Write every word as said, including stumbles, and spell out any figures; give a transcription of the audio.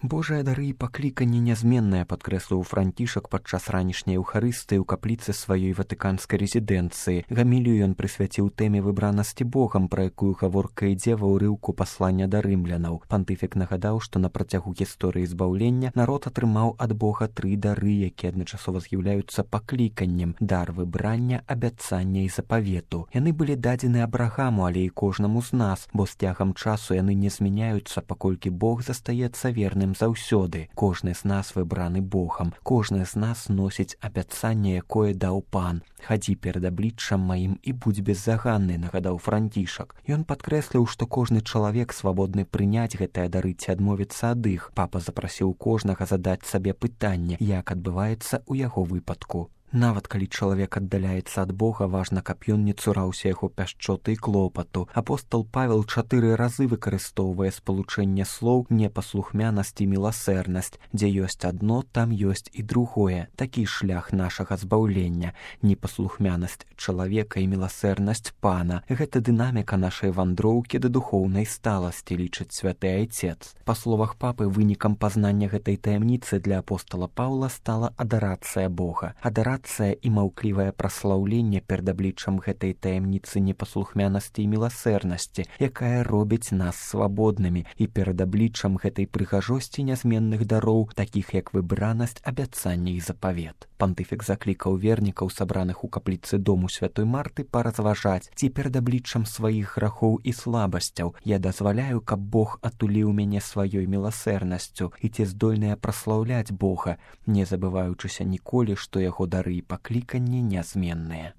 Божыя дары і пакліканне нязменнае, падкрэсліў Францішак падчас ранішняй еўхарыстыі ў капліцы сваёй ватыканскай рэзідэнцыі. Гамілію ён прысвяціў тэме выбранасці Богам, пра якую гаворка ідзе ва ўрыўку паслання да рымлянаў. Пантыфік нагадаў, што на працягу гісторыі збаўлення народ атрымаў ад Бога тры дары, якія адначасова з'яўляюцца пакліканнем: дар выбрання, абяцання і запавету. Яны былі дадзены Абрагаму, але і кожнаму з нас, бо з цягам часу яны не змяняюцца, паколькі Бог застаецца верным заўсёды. Кожны з нас выбраны Богам, кожны з нас носіць абяцанне, якое даў Пан. Хадзі перад абліччам маім і будзь беззаганны, нагадаў Францішак. Ён падкрэсліў, што кожны чалавек свабодны прыняць гэтыя дары ці адмовіцца ад іх. Папа запрасіў кожнага задаць сабе пытанне, як адбываецца ў яго выпадку. Нават калі чалавек аддаляецца ад Бога, важна, каб ён не цураўся яго пяшчоты і клопату. Апостол Павел чатыры разы выкарыстоўвае спалучэнне слоў непаслухмянасць і міласэрнасць. Дзе ёсць адно, там ёсць і другое. Такі шлях нашага збаўлення. Непаслухмянасць чалавека і міласэрнасць Пана. Гэта дынаміка нашай вандроўкі да духоўнай сталасці, лічыць святы айцец. Па словах папы, вынікам пазнання гэтай таямніцы для апостола Паўла стала адарацыя Бога. Адарацыя і маўклівае праслаўленне перад абліччам гэтай таямніцы непаслухмянасці і міласэрнасці, якая робіць нас свабоднымі, і перад абліччам гэтай прыгажосці нязменных дароў, такіх як выбранасць, абяцанне і запавет. Пантыфік заклікаў вернікаў, сабраных у капліцы дому святой Марты, паразважаць, ці перад абліччам сваіх грахоў і слабасцяў я дазваляю, каб Бог атуліў мяне сваёй міласэрнасцю, і ці здольныя праслаўляць Бога, не забываючыся ніколі, што яго дары і пакліканні нязменныя.